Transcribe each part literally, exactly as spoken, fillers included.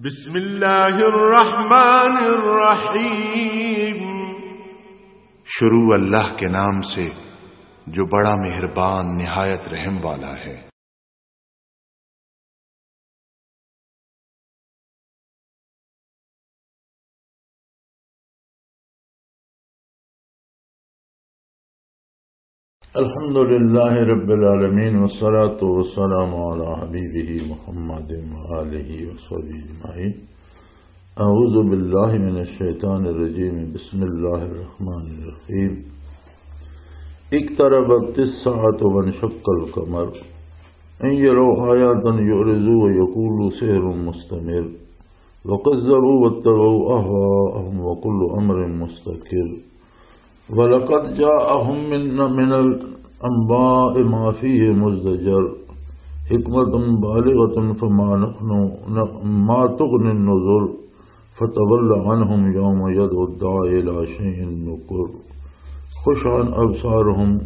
بسم اللہ الرحمن الرحیم۔ شروع اللہ کے نام سے، جو بڑا مہربان، نہایت رحم والا ہے۔ الحمد لله رب العالمين، والصلاة والسلام على حبيبه محمد وآله وصحبه أجمعين. أعوذ بالله من الشيطان الرجيم. بسم الله الرحمن الرحيم. اقتربت الساعة وانشق القمر. إن يروا آية يعرضوا ويقولوا سحر مستمر. وكذبوا واتبعوا أهواءهم وكل أمر مستقر. ولقد جاءهم من، من الأنباء ما فيه مزدجر. حكمة بالغة فما نحن، ما تغني النذر. فتول عنهم يوم يدعو الداعي إلى شيء نكر. خش عن أبصارهم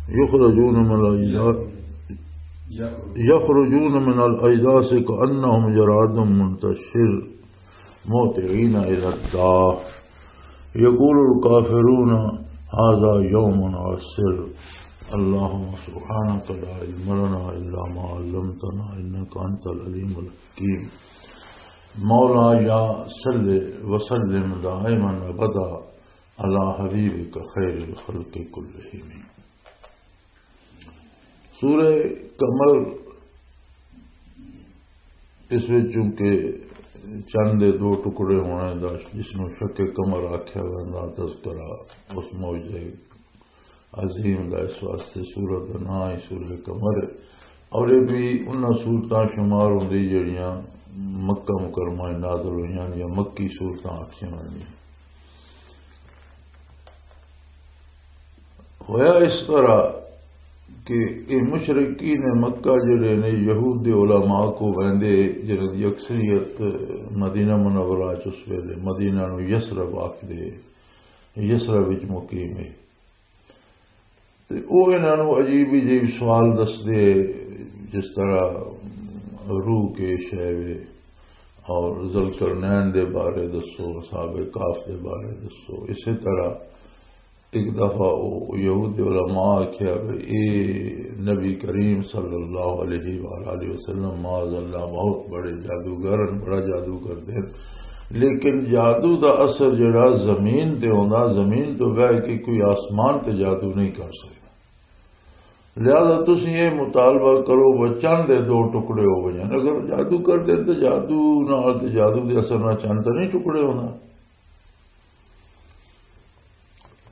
يخرجون من الأجداث، يخرجون من الأجداث كأنهم جراد منتشر. مهطعين إلى الداع يقول الكافرون هذا يوم عسر. اللهم سبحانك لا علم لنا إلا ما علمتنا إنك أنت العليم الحكيم. مولا یا صل وسلم دائما ابدا على حبيبك خير الخلق كلهم. سورہ قمر، اس وچ چونکہ چند دے دو ٹکڑے ہونے دا، جس نوں شق قمر آکھیا ویندا، تذکرہ اس معجزے عظیم دا، اس واسطے سورت دا نام ہی سورہ قمر ہے۔ اور یہ بھی انہاں سورتاں شمار ہوندی جڑیاں مکہ مکرمہ وچ نازل ہوئیاں یا مکی سورتاں آکھیاں ویندیاں۔ ہویا اس طرح کہ یہ مشرکین مکہ جڑے نے، یہود دے علماء کو ویندے، جنہاں دی اکثریت مدینہ منورہ چ اس ویلے، مدینہ نو یثرب آکھدے، یثرب وچ مقیم ہے۔ تے او انہاں نوں عجیب عجیب سوال دسدے، جس طرح روح کے شے وے، اور ذوالقرنین دے بارے دسو، اصحاب کہف دے بارے دسو۔ اسی طرح ایک دفعہ او یہود علماء آکھیا کہ اے نبی کریم صلی اللہ علیہ وآلہ وسلم، معاذ اللہ، بہت بڑے جادوگر ہیں، بڑا جادو کردے ہیں، لیکن جادو دا اثر جڑا زمین تے ہوندا، زمین تو بہ کے کوئی آسمان تے جادو نہیں کر سکدا۔ لہذا تسی یہ مطالبہ کرو، وہ چند دے دو ٹکڑے ہو گئے ہیں۔ اگر جادو کر دے تو جادو نال تے جادو دے اثر نال چند تے نہیں ٹکڑے ہونا۔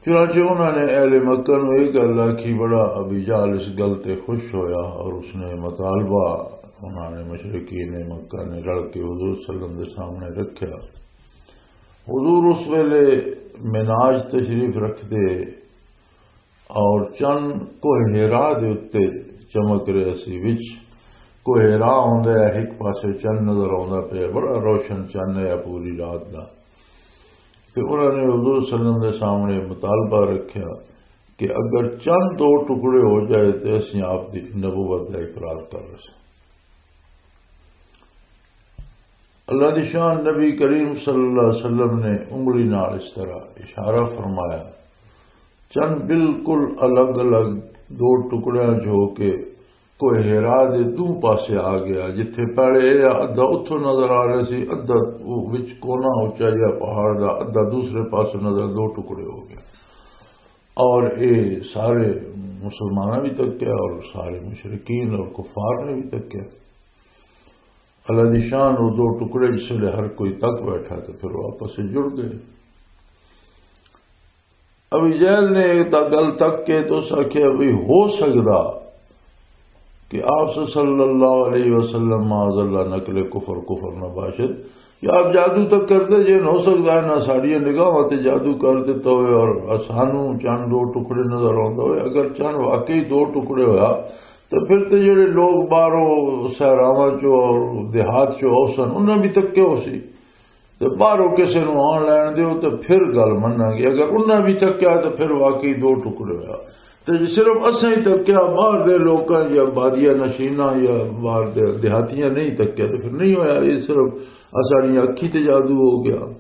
چنانچہ انہوں نے اہل مکہ نوں یہ گل آکھی، بڑا ابی جہل اس گل تے خوش ہویا اور اس نے مطالبہ، انہوں نے، مشرکین مکہ نے رل کے حضور صلی اللہ علیہ وسلم دے سامنے رکھیا۔ حضور اس ویلے معراج تشریف رکھدے اور چن کوہ ہیرا دے اُتے چمک رہے سی۔ وچ کوہ ہیرا ہوندا ہے، ایک پاسے چن نظر آوندا پیا، بڑا روشن چن ہے پوری رات دا۔ تے انہوں نے حضور صلی اللہ علیہ وسلم دے سامنے مطالبہ رکھیا کہ اگر چند دو ٹکڑے ہو جائے تے اسیں آپ دی نبوت دا اقرار کر رہے سن۔ اللہ دی شان، نبی کریم صلی اللہ علیہ وسلم نے انگلی نال اس طرح اشارہ فرمایا، چند بالکل الگ الگ دو ٹکڑیاں چ ہو کے کوہ ہیرا دے دو پاسے آ گیا۔ جتھے پہلے یہ ادھا اتھوں نظر آ رہا سی، ادھا وچ کونا اچا جہا پہاڑ دا، ادھا دوسرے پاسے نظر، دو ٹکڑے ہو گئے۔ اور اے سارے مسلماناں بھی تکیا اور سارے مشرکین اور کفار نے بھی تکیا۔ اللہ دی شان، وہ دو ٹکڑے جس ویلے ہر کوئی تک بیٹھا تو پھر وہ آپس سے جڑ گئے۔ ابی جہل نے ایک دا گل تک کے تو اس آکھیا بھی ہو سکدا کہ آپ صلی اللہ علیہ وسلم، معاذ اللہ، نقل کفر، کفر نہ باشد، کہ آپ جادو تک کردے جے، ہو سکدا ہے نہ ساڈیاں نگاہاں تے جادو کر دتا ہوئے اور سانو چند دو ٹکڑے نظر آوندا ہوئے۔ اگر چند واقعی دو ٹکڑے ہویا تے پھر تے جڑے لوگ باہروں صحراواں چوں اور دیہات چوں آؤ سن، انہاں بھی تکے ہو سی۔ تے باہروں کسے نوں آن لین دیو تے پھر گل مناں گے۔ اگر انہاں بھی تکیا تے پھر واقعی دو ٹکڑے ہویا۔ تے جے صرف اساں ہی تکیا، باہر دے لوکاں یا بادیہ نشیناں یا باہر دے دیہاتیاں نہیں تکیا تے پھر نہیں ہویا۔ یہ صرف آ ساڈیاں اکھیں تے جادو ہو گیا۔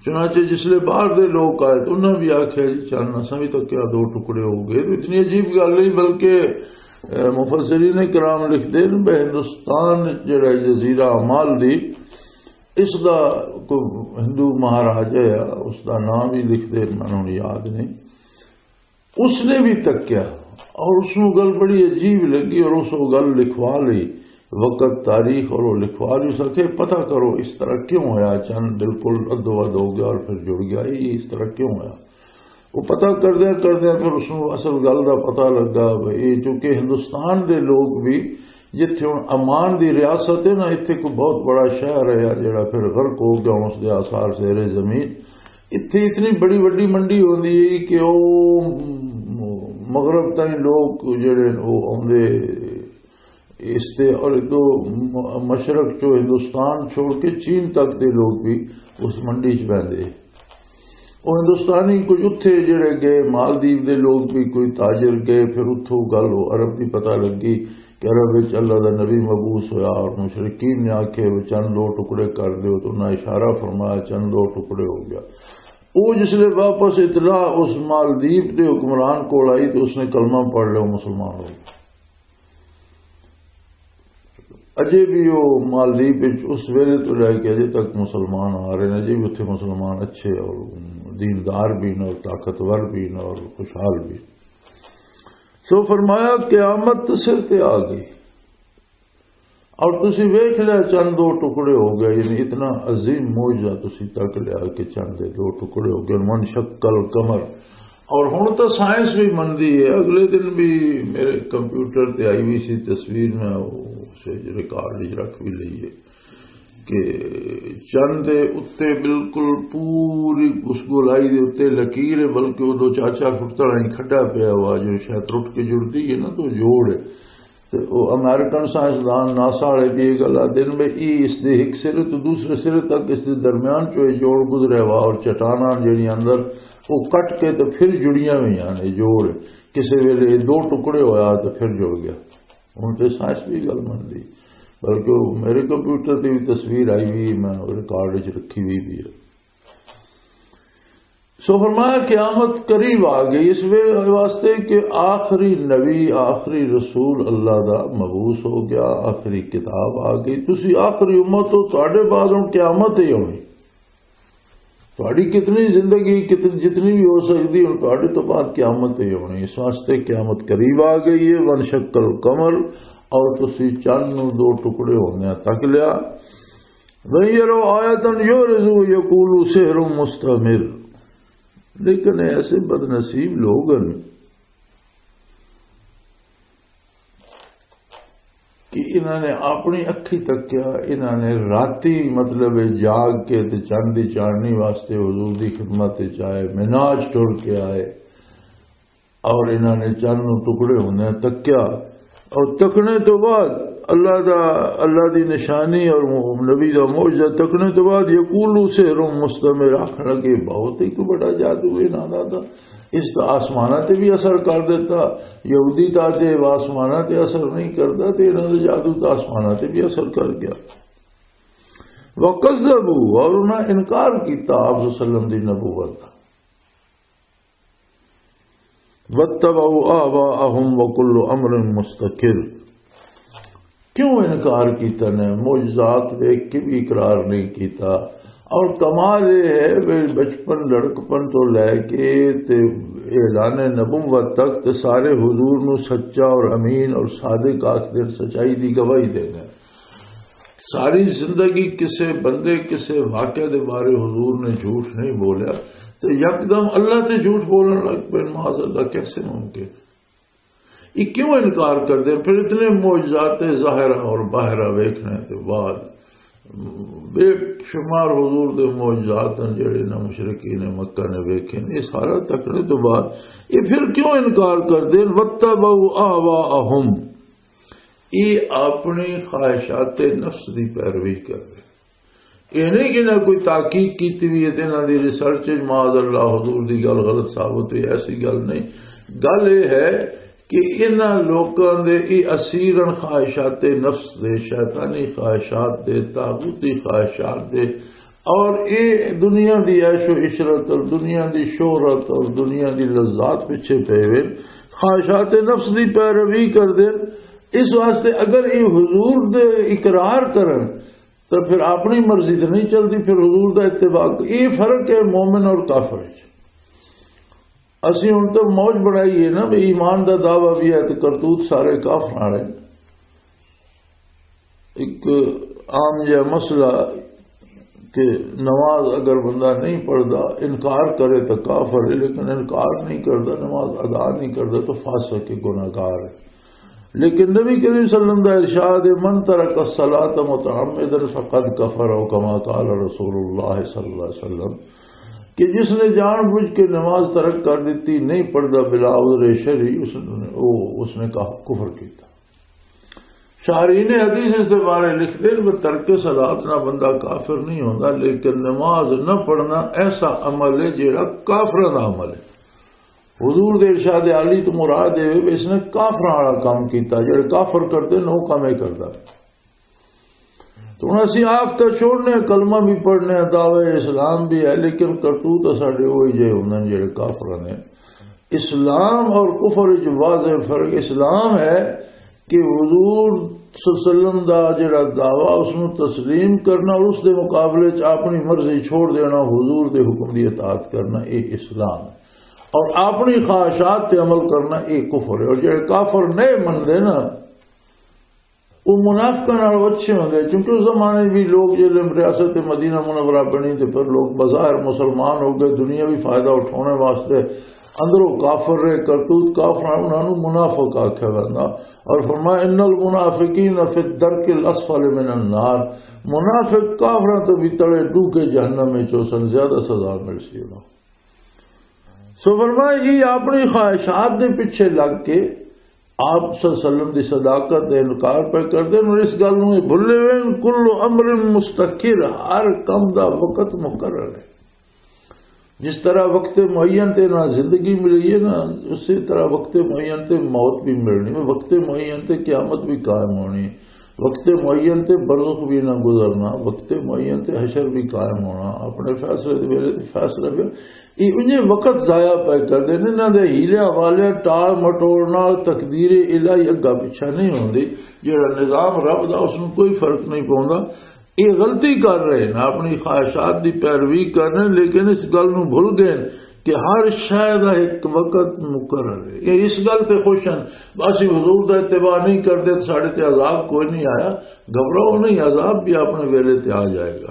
چنانچہ جس لے باہر دے لوگ آئے تو انہاں بھی آکھیا، "جی چن اساں بھی تکیا، دو ٹکڑے ہو گئے۔" تو اتنی عجیب گل نہیں، بلکہ، اے، مفسرین کرام لکھدے نے بھئی ہندوستان وچ جڑا جزیرہ مالدیپ، اس دا کوئی ہندو مہاراجا ہے، اس دا نام بھی لکھدے نے، مینوں ہن یاد نہیں۔ اس نے بھی تکیا اور اس نوں گل بڑی عجیب لگی اور اس وہ گل لکھوا لی، وقت، تاریخ اور وہ لکھوا لی، اس آکھیا، "پتہ کرو اس طرح کیوں ہویا، چند بالکل ادو اد ہو گیا اور پھر جڑ گیا، یہ اس طرح کیوں ہویا؟" وہ پتہ کردیا کردیا پھر اس نوں اصل گل دا پتہ لگا، بھئی یہ چونکہ ہندوستان دے لوگ بھی، جتھے ہن عمان دی ریاست ہے نا، اتھے کوئی بہت بڑا شہر ہے جڑا پھر غرق ہو گیا، اس دے آثار زیر زمین۔ اتھے اتنی بڑی وڈی منڈی ہوندی ہے کہ او مغرب تائیں لوگ جڑے نے او آوندے اس تے، اور ادو مشرق چو ہندوستان چھوڑ کے چین تک دے لوگ بھی اس منڈی چ بہندے۔ او ہندوستانی کچھ اتھے جڑے گئے، مالدیپ دے لوگ بھی کوئی تاجر گئے، پھر اتھوں گل او عرب دی پتہ لگی کہ عرب وچ اللہ دا نبی مبعوث ہویا اور مشرکین نے آکھے، "وہ چند دو ٹکڑے کر دیو"، تو انہاں اشارہ فرمایا، چند دو ٹکڑے ہو گیا۔ او جس لے واپس اطلاع اس مالدیپ دے حکمران کول آئی تو اس نے کلمہ پڑھ لیا، مسلمان ہو گیا۔ اجے بھی وہ مالدیپ وچ اس ویلے تو لے کے اجے تک مسلمان آ رہے ہیں، اجے بھی اتھے مسلمان اچھے اور دیندار بھی نے اور طاقتور بھی نے اور خوشحال بھی۔ سو فرمایا، قیامت تو سر تے آ گئی اور تسی ویکھ لیا چند دو ٹکڑے ہو گئے، یعنی اتنا عظیم معجزہ تسی تک لیا کہ چند دے دو ٹکڑے ہو گئے۔ من شق القمر، اور ہن تو سائنس بھی مندی ہے۔ اگلے دن بھی میرے کمپیوٹر تے آئی ہوئی سی تصویر، میں اسے ریکارڈ وچ رکھ بھی لئی ہے کہ چند دے اُتے بالکل پوری اس گولائی دے اُتے لکیر ہے، بلکہ وہ دو چار چار فٹ تڑا ہی کھڈا پیا ہوا جو شاید ٹوٹ کے جڑتی ہے نا، تو جوڑ ہے۔ تے او امریکن سائنسدان ناسا والے بھی یہ گل آدھے نے بھی ای اس دے ایک سرے تو دوسرے سرے تک اس دے درمیان چو یہ جوڑ گزریا ہوا اور چٹاناں جڑی اندر وہ کٹ کے تو پھر جڑیاں ہوئی ہیں، یہ جوڑ کسی ویلے یہ دو ٹکڑے ہویا تو پھر جڑ گیا۔ ہن تے سائنس بھی گل من لی، بلکہ وہ میرے کمپیوٹر تے بھی تصویر آئی ہوئی، میں ریکارڈ وچ رکھی ہوئی بھی ہے۔ سو فرمایا، قیامت قریب آ گئی، اس وے-، واسطے کہ آخری نبی، آخری رسول اللہ دا مبعوث ہو گیا، آخری کتاب آ گئی، تسی آخری امت ہو، تہاڈے بعد ہن قیامت ہی ہونی۔ تہاڈی کتنی زندگی، کتنی، جتنی بھی ہو سکتی، ہن تہاڈے تو بعد قیامت ہی ہونی۔ اس واسطے قیامت قریب آ گئی ہے۔ وانشق القمر، اور تسی چند نو دو ٹکڑے ہوندیاں تک لیا۔ وَإِن يَرَوْا آيَةً يُعْرِضُوا وَيَقُولُوا سِحْرٌ مُسْتَمِرٌّ۔ لیکن ایسے بدنصیب لوگ ہیں کہ انہاں نے اپنی اکھی تکیا، انہاں نے راتی مطلب جاگ کے تے چند دی چاندنی واسطے حضور دی خدمت وچ آئے، مناج ٹر کے آئے اور انہاں نے چند نوں ٹکڑے ہوندے تکیا اور تکنے تو بعد اللہ دا، اللہ دی نشانی اور نبی دا معجزہ تکنے تو بعد یقولو سحر مستمر، آکھن لگے بہت ہی کوئی بڑا جادو ہے انہاں دا، اس دا آسماناں تے بھی اثر کر دیتا۔ یہودی دا تے آسماناں تے اثر نہیں کردا، تے انہاں دا جادو تے آسماناں تے بھی اثر کر گیا۔ وَكَذَّبُوا، اور انہاں انکار کیتا آپ صلی اللہ علیہ وسلم دی نبوت دا۔ وَاتَّبَعُوا أَهْوَاءَهُمْ وَكُلُّ أَمْرٍ مُسْتَقِرٌّ۔ کیوں انکار کیتا نے؟ معجزات دیکھ کے بھی اقرار نہیں کیتا۔ اور کمال یہ ہے کہ بچپن، لڑکپن تو لے کے تے اعلان نبوت تک تے سارے حضور نو سچا اور امین اور صادق آکھ دے، سچائی دی گواہی دے دے۔ ساری زندگی کسے بندے، کسے واقعے دے بارے حضور نے جھوٹ نہیں بولیا، تے یکدم اللہ تے جھوٹ بولن لگ پے، معاذ اللہ، کیسے ممکن؟ یہ کیوں انکار کر دے؟ پھر اتنے معجزات ظاہرہ اور باہرہ ویکھنے تے بعد بے شمار حضور دے معجزات ہیں جڑے نہ مشرکین مکہ نے ویکھے نے، یہ سارا تکنے تو بعد یہ پھر کیوں انکار کر دے؟ وَاتَّبَعُوا أَهْوَاءَهُمْ، یہ اپنی خواہشات نفس دی پیروی کر رہے۔ یہ نہیں کہ نہ کوئی تحقیق کیتی ہوئی ہے تے انہاں دی ریسرچ وچ معاذ اللہ حضور دی گل غلط ثابت ہوئی، ایسی گل نہیں۔ گل یہ ہے کہ انہاں لوکاں دے ای اسیرن خواہشات نفس دے، شیطانی خواہشات دے، طاغوتی خواہشات دے، اور اے دنیا دی عیش و عشرت اور دنیا دی شہرت اور دنیا دی لذات پیچھے پے وے، خواہشات نفس دی پیروی کر دے۔ اس واسطے اگر اے حضور دے اقرار کرن تو پھر اپنی مرضی تے نہیں چلدی، پھر حضور دا اتباع۔ اے فرق ہے مومن اور کافر وچ۔ اسی ہن تو موج بنائی ہے نا، بھی ایمان دا دعویٰ بھی ہے تو کرتوت سارے کافر والے۔ ایک عام جہا مسئلہ کہ نماز اگر بندہ نہیں پڑھدا، انکار کرے تو کافر ہے، لیکن انکار نہیں کردا، نماز ادا نہیں کردا تو فاسق ہے، گناہگار ہے۔ لیکن نبی کریم صلی اللہ علیہ وسلم دا ارشاد ہے، "من ترک الصلاۃ متعمدا فقد کفر"، او کما قال رسول اللہ صلی اللہ علیہ وسلم، کہ جس نے جان بوجھ کے نماز ترک کر دیتی، نہیں پڑھدا بلا عذر شرعی، اس نے، وہ، اس نے کہا، کفر کیتا۔ شارحین حدیث اس دے بارے لکھتے ہیں کہ ترک صلاۃ نہ بندہ کافر نہیں ہوتا، لیکن نماز نہ پڑھنا ایسا عمل ہے جڑا کافروں دا عمل ہے۔ حضور دے ارشاد عالی تو مراد ہے کہ اس نے کافراں والا کام کیتا، جڑے کافر کرتے نے وہ کام ہی کرتا۔ تو ہن اسی آپ تو چھوڑنے، کلمہ بھی پڑھنے، دعوے اسلام بھی ہے، لیکن کرتوت ساڈے وہی جے ہوندے نے جڑے کافراں نے۔ اسلام اور کفر وچ واضح فرق۔ اسلام ہے کہ حضور صلی اللہ علیہ وسلم دا جڑا دعویٰ، اس نوں تسلیم کرنا اور اس دے مقابلے چ اپنی مرضی چھوڑ دینا، حضور دے حکم دی اطاعت کرنا، اے اسلام ہے۔ اور اپنی خواہشات تے عمل کرنا، اے کفر ہے۔ اور جڑے کافر نہیں منتے نا، وہ منافقاں نال اچھے ہوندے، کیونکہ اس زمانے بھی لوگ جب ریاست مدینہ منورہ بنی تے پھر لوگ بظاہر مسلمان ہو گئے، دنیاوی فائدہ اٹھانے واسطے اندروں کافر رہے، کرتوت کافر، انہاں نوں منافق آکھیا ویندا۔ اور فرمایا، "ان المنافقین فی الدرک الاسفل من النار"، منافق کافراں تو بھی تلے ڈوکے جہنم وچ اس نوں زیادہ سزا مل سی انہاں۔ سو فرمایا، یہ اپنی خواہشات دے پیچھے لگ کے آپ صلی اللہ علیہ وسلم دی صداقت دا انکار پہ کردے نے، اور اس گل نوں یہ بھلے ہوئے نے، "کل امر مستقر"، ہر کم دا وقت مقرر ہے۔ جس طرح وقت معین تے نہ زندگی ملی ہے نا، اسی طرح وقت معین تے موت بھی ملنی ہے، وقت معین تے قیامت بھی قائم ہونی ہے، وقت معین تے برزخ بھی نہ گزرنا، وقت معین تے حشر بھی قائم ہونا، اپنے فیصلے دے ویلے تے فیصلہ بھی۔ یہ انہیں وقت ضائع پہ کردے نے، انہاں دے ہیلیاں والیاں ٹال مٹول نال تقدیر الہی اگا پچھا نہیں ہوندی۔ جڑا نظام رب دا، اس نوں کوئی فرق نہیں پوندا۔ یہ غلطی کر رہے ہیں، اپنی خواہشات دی پیروی کر رہے ہیں، لیکن اس گل نوں بھول گئے کہ ہر شے دا ایک وقت مقرر ہے۔ یہ اس گل تے خوش ہیں، بس یہ حضور دا اتباع نہیں کردے تو ساڈے تے عذاب کوئی نہیں آیا۔ گھبراؤ نہیں، عذاب بھی اپنے ویلے تے آ جائے گا۔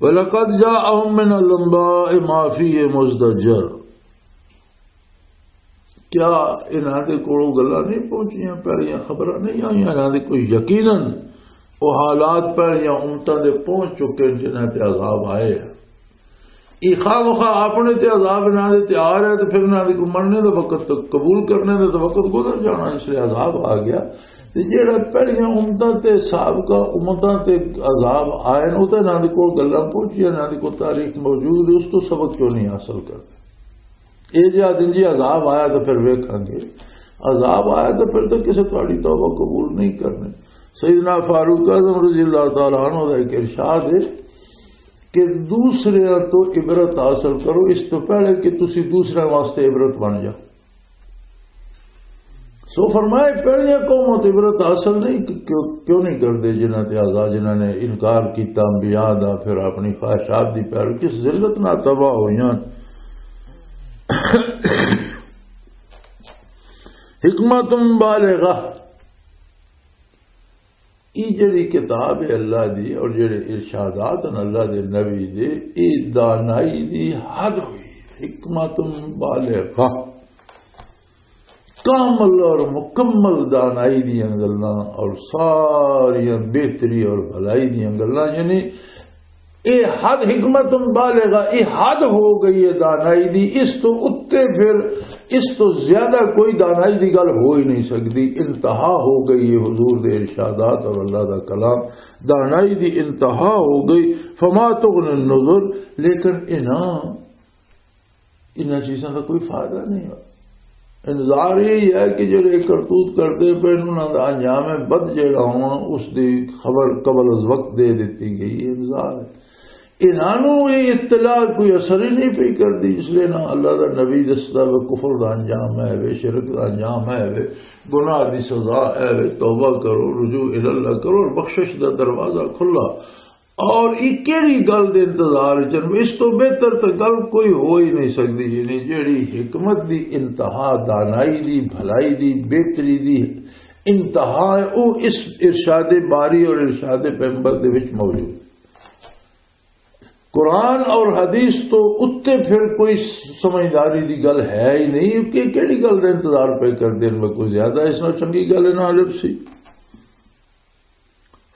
وَلَقَدْ جَاءَهُم مِّنَ الْأَنْبَاءِ مَا فِيهِ مُزْدَجَرٌ۔ کیا انہاں دے کولوں گلاں نہیں پہنچیاں، پہلیاں خبراں نہیں آئیاں انہاں دے؟ کوئی یقیناً وہ حالات پہلیاں امتاں دے پہنچ چکے ہیں جنہاں تے عذاب آئے ہیں۔ یہ خواہ مخواہ اپنے تے عذاب انہاں دے تے آ رہا ہے، تو پھر انہاں دے کو مرنے دا وقت، تو قبول کرنے دا تو وقت گزر جانا، اس لیے عذاب آ گیا۔ تے جیڑا پہلیاں امتاں تے سابقہ امتاں تے عذاب آئے نے، او تے انہاں دے کول گلاں پہنچیاں، انہاں دے کول تاریخ موجود ہے، اس تو سبق کیوں نہیں حاصل کرتے؟ اے جا دن جی عذاب آیا تو پھر ویکھاں گے، عذاب آیا تو پھر تو کسے تہاڈی توبہ قبول نہیں کرنی۔ سیدنا فاروق اعظم رضی اللہ تعالیٰ عنہ دا ایک ارشاد ہے کہ دوسرے تو عبرت حاصل کرو، اس تو پہلے کہ تسی دوسرے واسطے عبرت بن جاؤ۔ سو فرمائے، پہلیاں قوموں تے عبرت حاصل نہیں، کہ کیوں، کیوں نہیں کردے جنہاں تے آزاد، جنہاں نے انکار کیتا انبیاء دا، پھر اپنی خواہشات دی پیروی، کس ذلت نال تباہ ہوئیاں۔ حکمت بالغہ، یہ جڑی کتاب ہے اللہ دی اور جڑے ارشادات ہیں اللہ دے نبی دے، یہ دانائی دی حد ہوئی، حکمت بالغہ۔ کامل اور مکمل دانائی دیاں گلاں اور ساریاں بہتری اور بھلائی دیاں گلاں، یعنی اے حد حکمت بالغہ، اے حد ہو گئی ہے دانائی دی، اس تو اتے پھر اس تو زیادہ کوئی دانائی دی گل ہو ہی نہیں سکتی۔ انتہا ہو گئی ہے حضور دے ارشادات اور اللہ دا کلام، دانائی دی انتہا ہو گئی۔ فما تغنی النذر، لیکن انہاں انہاں چیزاں دا کوئی فائدہ نہیں ہوا۔ انذار یہ ہے کہ جڑے کرتوت کرتے پے انہاں دا انجام بد جڑا ہونا، اس دی خبر قبل از وقت دے دتی گئی ہے۔ انذار ہے۔ انہاں نوں یہ اطلاع کوئی اثر ہی نہیں پئی کردی، اس لیے نہ اللہ دا نبی دسدا وے کفر دا انجام ہے وے، شرک دا انجام ہے وے، گناہ دی سزا ہے وے، توبہ کرو، رجوع الی اللہ کرو اور بخشش دا دروازہ کھلا۔ اور یہ کیڑی گل دے انتظار وچ ہن؟ اس تو بہتر تے گل کوئی ہو ہی نہیں سکدی، یعنی جیڑی حکمت دی انتہا، دانائی دی، بھلائی دی، بہتری دی انتہا ہے، وہ اس ارشاد باری اور ارشاد پیغمبر دے وچ موجود۔ قرآن اور حدیث تو اتے پھر کوئی سمجھداری دی گل ہے ہی نہیں کہ کیڑی گل دا انتظار پہ کر دین میں کوئی زیادہ اس نال چنگی گل نہ لب سی۔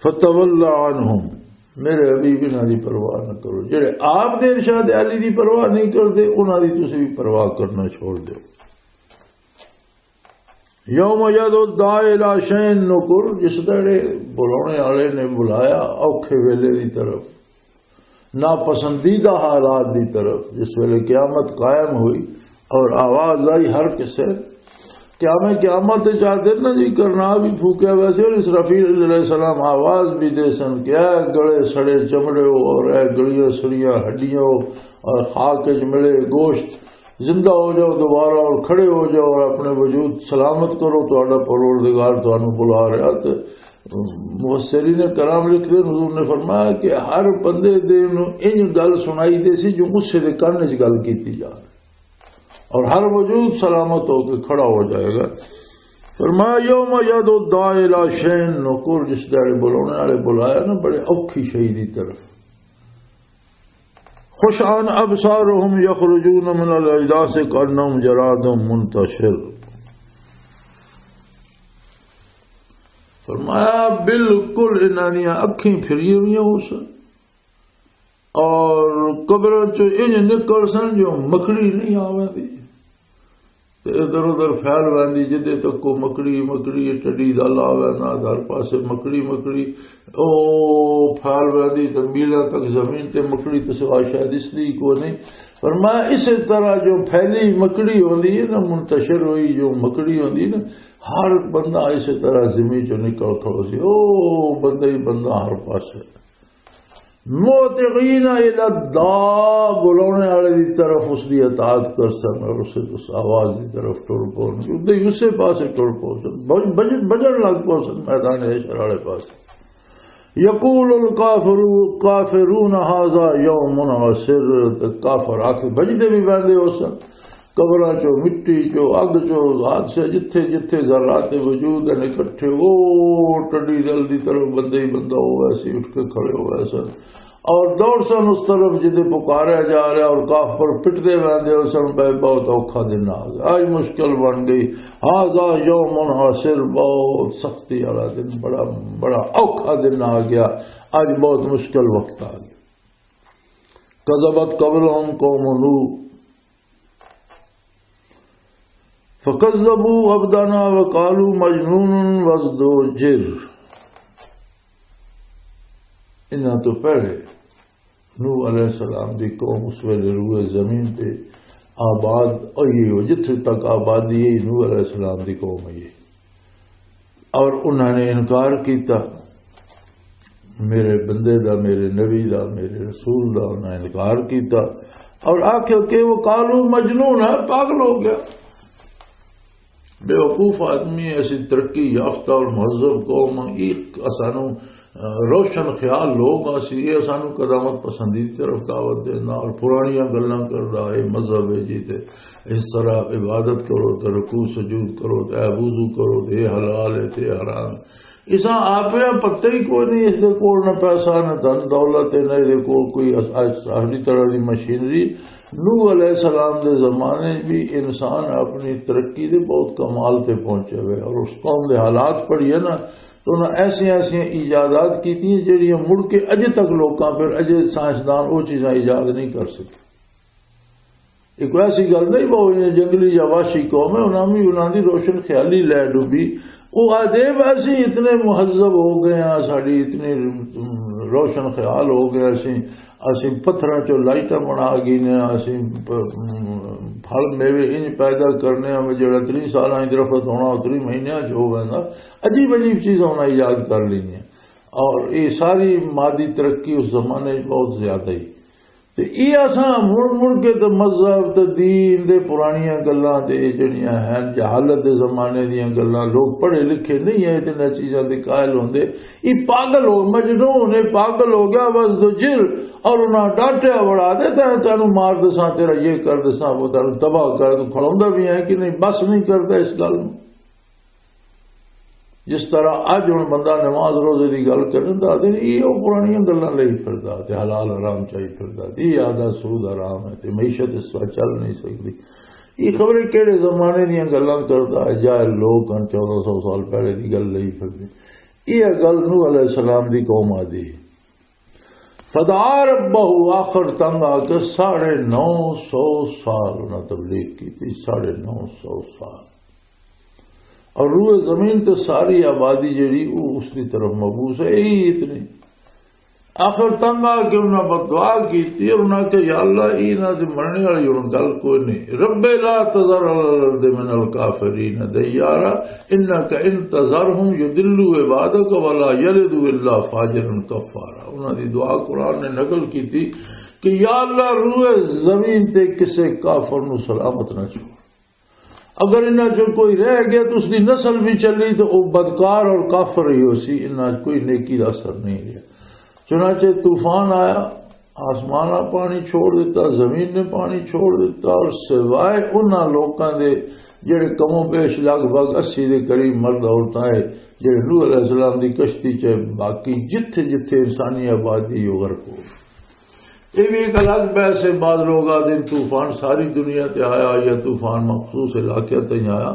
فتول عنہم، میرے حبیب، انہاں دی پرواہ نہ کرو۔ جڑے آپ دے ارشاد عالی دی پرواہ نہیں کردے، انہاں دی تسی بھی پرواہ کرنا چھوڑ دیو۔ یوم یدعو الداعی الی شیء نکر، جس دڑے بلانے والے نے بلایا اوکھے ویلے دی طرف، ناپسندیدہ حالات دی طرف، جس ویلے قیامت قائم ہوئی اور آواز آئی ہر کسے، قیام قیامت دے چار دن نہ جی کرنا بھی پھوکیا ویسے، اور اسرافیل علیہ السلام آواز بھی دے سن کہ اے گلے سڑے چمڑے ہو اور اے گلیاں سڑیاں ہڈیاں ہو اور خاک وچ ملے گوشت، زندہ ہو جاؤ دوبارہ اور کھڑے ہو جاؤ اور اپنے وجود سلامت کرو، تہاڈا پروردگار تانوں بلا رہا۔ تے مفسرین کرام لکھتے ہیں، حضور نے فرمایا کہ ہر بندے دے نوں انج گل سنائی دے سی جو غصے دے کن وچ گل کیتی جا رہی، اور ہر وجود سلامت ہو کے کھڑا ہو جائے گا۔ فرمایا، یوم یدعو الداعی الی شیء نکر، جس دڑے بلانے والے بلایا نا بڑے اوکھی شے دی طرف، خشعا ابصارهم یخرجون من الاجداث کانهم جراد منتشر۔ فرمایا، بالکل انہاں دیاں اکھیں پھریاں ہوئیاں ہو سن اور قبراں چوں انج نکل سن جو مکڑی نہیں آویندی۔ تے ادھر ادھر پھیل ویندی، جدے تک کو مکڑی، مکڑی، ٹڈی دا لا وینا، ہر پاسے مکڑی، مکڑی، او پھیل ویندی تے میلاں تک زمین تے مکڑی تے سوا شاید اس دی کو نہیں۔ فرمایا، اسی طرح جو پھیلی مکڑی ہوندی ہے نا، منتشر ہوئی جو مکڑی ہوندی ہے نا، ہر بندہ اسی طرح زمین چوں نکل کھڑو سی، او بندہ ہی بندہ ہر پاسے۔ موتغین الی الداع، بلانے والے دی طرف اس دی اطاعت کر سن اور اسے اس آواز دی طرف ٹر پون، ادھر ہی اسے پاسے ٹر پون سن، بج-، بج-، بجن لگ پون سن میدان حشر والے پاسے۔ یقول الکافر، کافرون هذا یوم عسر، تے کافر آکھے بجدے بھی بندے ہو سن۔ قبراں چوں، مٹی چوں، اگ چوں، حادثے جتھے جتھے ذرات وجود ہیں اکٹھے، او ٹڈی دل دی طرف بندے ہی بندہ ہو ویسے اٹھ کے کھڑے ہو ویسے اور دوڑ سن اس طرف جدے پکاریا جا رہا اور کافر پٹدے ویندے ہو سن، بھائی بہت اوکھا دن آ گیا، آج مشکل بن گئی۔ هذا یوم عسر، بہت سختی والا دن، بڑا، بڑا اوکھا دن آ گیا، آج بہت مشکل وقت آ گیا۔ کذبت قبلهم قوم نوح فکذبوا عبدنا وقالوا مجنون وازدجر۔ انہاں تو پہلے نوح علیہ السلام دی قوم اس ویلے روئے زمین تے آباد ہوئی ہو، جتھے تک آبادی ہے نوح علیہ السلام دی قوم ہے۔ اور انہاں نے انکار کیتا میرے بندے دا، میرے نبی دا، میرے رسول دا، انہاں انکار کیتا اور آکھیا کہ وہ قالوا مجنون ہے، پاگل ہو گیا۔ بے وقوف آدمی، ایسی ترقی یافتہ اور مہذب قوم، ایک اسانو، آ، روشن خیال لوگ آسی، یہ اسانو قدامت پسندی دی طرف دعوت دینا اور پرانیاں گلاں کردا، اے مذہب ہے جی، تے اس طرح عبادت کرو، تے رکوع سجود کرو، تے اے وضو کرو، تے اے حلال ہے، تے اے حرام ہے۔ اساں آپے پتہ ہی کوئی نہیں، اس دے کول نہ پیسہ، نہ دھن دولت ہے، نہ اس دے کول کوئی اس-، اس-، ساری طرح دی مشینری۔ نوح علیہ السلام دے زمانے بھی انسان اپنی ترقی دے بہت کمال تے پہنچے ہوئے، اور اس قوم دے حالات پڑھیے نا، تو انہاں ایسیاں ایسیاں ایجادات کیتی ہیں جڑیاں مڑ کے اجے تک لوکاں، پھر اجے سائنسدان وہ چیزاں ایجاد نہیں کر سکے۔ یہ کوئی ایسی گل نہیں، وہ انہیں جنگلی یا وحشی قوم ہے، انہاں بھی، انہاں دی روشن خیالی لے ڈوبی، وہ آدھے بھی اسی اتنے مہذب ہو گئے ہیں، ساڈی اتنی روشن خیال ہو گیا، اسی اسی پتھراں چوں لائٹاں بنا گئی نے، اسی پ- پھل میوے انج پیدا کرنے ہیں، جڑا تری سالاں ہی درخت ہونا، اتری مہینیاں چ ہو گئے نا۔ عجیب عجیب چیزاں انہاں ایجاد کر لینیاں۔ اور یہ ساری مادی ترقی اس زمانے بہت زیادہ ہی۔ تے یہ اساں مڑ مڑ کے تے مذہب تے دین دے پرانیاں گلاں تے، یہ جڑیاں ہیں جہالت دے زمانے دیاں گلاں، لوگ پڑھے لکھے نہیں ہیں، اتنے چیزاں دے قائل ہوندے۔ یہ پاگل ہو، مجنون ہے، پاگل ہو گیا، بس دو جل۔ اور انہاں ڈانٹیا بڑا دے، تینوں تینوں مار دساں، تیرا یہ کر دساں، وہ تینوں تباہ کر دوں۔ کھڑوندا بھی ہے کہ نہیں، بس نہیں کردا اس گل نوں۔ جس طرح اج ہن بندہ نماز روزے دی گل کرن دا، آدھے نے، "یہ او پرانیاں گلاں لئی پھردا، تے حلال حرام چائی پھردا، تے یہ آدھا سود حرام ہے، تے معیشت اس طرح چل نہیں سکدی۔" یہ خبریں کہڑے زمانے دیاں گلاں کردا ہے، جاہل لوگ ہن، چودہ سو سال پہلے دی گل لئی پھردے۔ یہ گل نوح علیہ السلام دی قوم آدھی۔ فدعا ربہ، آخر تنگ آ کے ساڑھے نو سو سال انہاں تبلیغ کی تھی، ساڑھے نو سو سال۔ اور روئے زمین تے ساری آبادی جڑی، وہ اس کی طرف مبوس ہے، یہی اتنی۔ آخر تنگ آ کے انہاں بد دعا کی تھی اور انہاں کہ، "یا اللہ، یہ نہ تے مرنے والی ہن گل کوئی نہیں۔ رب لا تذر علی الارض من الکافرین دیارا، انک ان تذرہم یضلوا عبادک ولا یلدوا الا فاجرا کفارا۔" انہاں دی دعا قرآن نے نقل کی تھی کہ یا اللہ، روئے زمین تے کسے کافر نو سلامت نہ چھوڑ۔ اگر انہاں چوں کوئی رہ گیا تو اس دی نسل بھی چلی تو وہ بدکار اور کافر ہی ہو سی، انہاں چ کوئی نیکی دا اثر نہیں رہیا۔ چنانچہ طوفان آیا، آسمان نے پانی چھوڑ دیتا، زمین نے پانی چھوڑ دیتا، اور سوائے انہاں لوکاں دے جڑے کم و بیش لگ بھگ اسی دے قریب مرد عورتاں ہے، جڑے نوح علیہ السلام دی کشتی چ، باقی جتھے جتھے انسانی آبادی وہ غرق ہو گئی۔ یہ بھی ایک الگ بحث ہے۔ بعض لوگ آدھے طوفان ساری دنیا تے آیا یا طوفان مخصوص علاقے تے ہی آیا،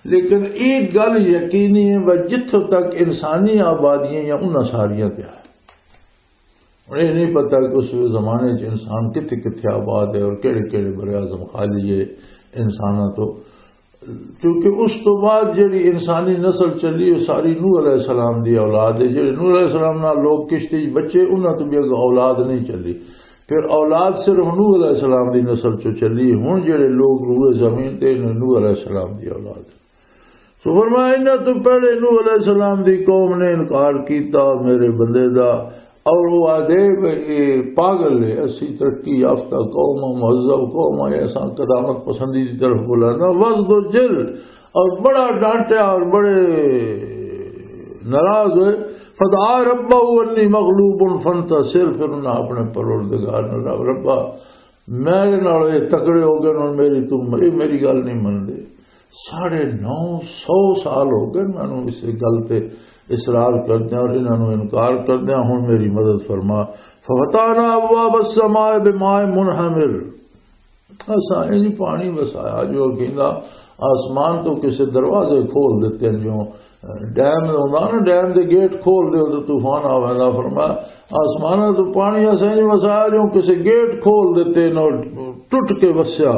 لیکن ایک گل یقینی ہے، وہ جتھوں تک انسانی آبادیاں یا انہاں ساریاں تے آیا۔ ہن یہ نہیں پتا کہ اس زمانے چ انسان کتھے کتھے آباد ہے اور کہڑے کہڑے براعظم خالی ہے انساناں تو۔ کیونکہ اس تو بعد جڑی انسانی نسل چلی، وہ ساری نوح علیہ السلام دی اولاد ہے۔ جڑے نوح علیہ السلام نال لوگ کشتی وچ بچے، انہاں تو بھی اگوں اولاد نہیں چلی۔ پھر اولاد صرف نوح علیہ السلام دی نسل چوں چلی۔ ہن جڑے لوگ روئے زمین تے، انہاں نوح علیہ السلام دی اولاد ہے۔ سو فرمایا، انہاں تو پہلے نوح علیہ السلام دی قوم نے انکار کیتا میرے بندے دا، اور وہ آدھے، "اے پاگل ہے، اسی ترقی یافتہ قوم ہاں، مہذب قوم ہاں، اساں قدامت پسندی دی طرف بلانا، وز دو جل۔" اور بڑا ڈانٹیا اور بڑے ناراض ہوئے۔ فدعا ربہ انی مغلوب فانتصر، پھر انہاں اپنے پروردگار نے، "رب، ربا، میرے نال یہ تکڑے ہو گئے، ہن میری تو، یہ میری گل نہیں من دے۔" ساڑھے نو سو سال ہو گئے مینوں اس گل تے اصرار کردیاں اور انہاں نوں انکار کردیاں، ہن میری مدد فرما۔ ففتحنا ابواب السماء بماء منہمر، اساں انج پانی وسایا جو کہندا آسمان تو کسے دروازے کھول دتے، جو ڈیم ہوندا نا، ڈیم دے گیٹ کھول دے تو طوفان آ ویندا۔ فرمایا، آسمان تو پانی اساں انج وسایا جو کسے گیٹ کھول دتے نو ٹوٹ کے وسیا۔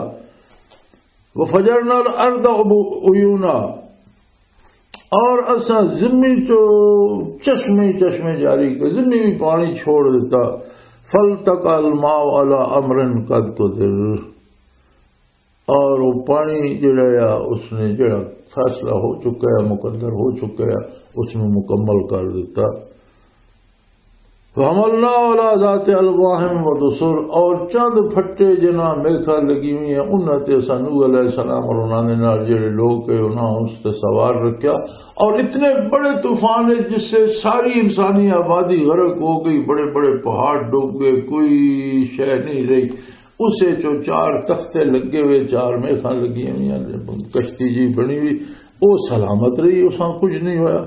وفجرنا الارض عبو-، عیونا، اور اساں زمین چو چشمے چشمے جاری کر، زمین بھی پانی چھوڑ دیتا۔ فالتقى الماء على امر قد قدر، اور وہ پانی جڑا آ، اس نے جڑا فیصلہ ہو چکا ہے، مقدر ہو چکا ہے، اس نے مکمل کر دیتا۔ وحملنا على ذات الواح ودسر، اور چند پھٹے جنہاں میخاں لگی ہوئی ہیں، انہاں تے اساں نوح علیہ السلام اور انہاں دے نال جڑے لوگ تھے، انہاں اس تے سوار رکھیا۔ اور اتنے بڑے طوفان ہے جس سے ساری انسانی آبادی غرق ہو گئی، بڑے بڑے پہاڑ ڈوب گئے، کوئی شے نہیں رہی۔ اسے چو چار تختے لگے ہوئے، چار میخاں لگی ہوئی ہیں، کشتی جی بنی ہوئی، وہ سلامت رہی، اساں کچھ نہیں ہویا۔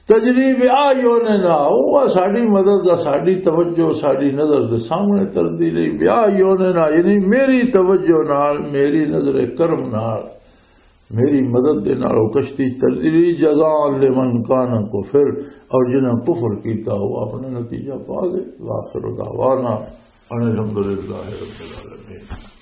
تجری بأعیننا، وہ ساڈی مدد دا، ساڈی توجہ، ساڈی نظر دے سامنے تردی رہی۔ بأعیننا، یعنی میری توجہ نال، میری نظر کرم نال، میری مدد دے نال وہ کشتی تردی رہی۔ جزاء لمن کان کفر، اور جنہاں کفر کیتا، وہ اپنا نتیجہ پا گئے۔ وآخر دعوانا ان الحمدللہ رب العالمین۔